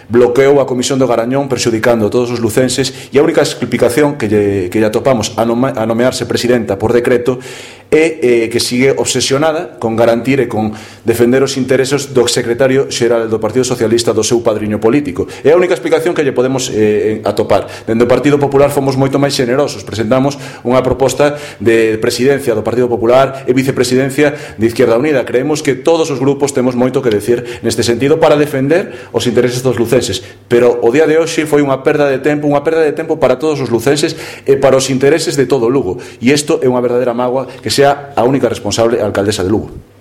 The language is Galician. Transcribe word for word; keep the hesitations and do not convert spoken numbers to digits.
bloqueou a Comisión do Garañón prexudicando a todos os lucenses, e a única explicación que lle, que lle atopamos a, nome, a nomearse presidenta por decreto é eh, que sigue obsesionada con garantir e con defender os intereses do secretario xeral do Partido Socialista, do seu padriño político. É a única explicación que lle podemos eh, atopar. Dende o Partido Popular fomos moito máis xenerosos, presentamos unha proposta de presidencia do Partido Popular e vicepresidencia de Izquierda Unida. Creemos que todos os grupos temos moito que decir neste sentido para defender os intereses dos lucenses, pero o día de hoxe foi unha perda de tempo, unha perda de tempo para todos os lucenses e para os intereses de todo Lugo, e isto é unha verdadeira mágoa que sea a única responsable a alcaldesa de Lugo.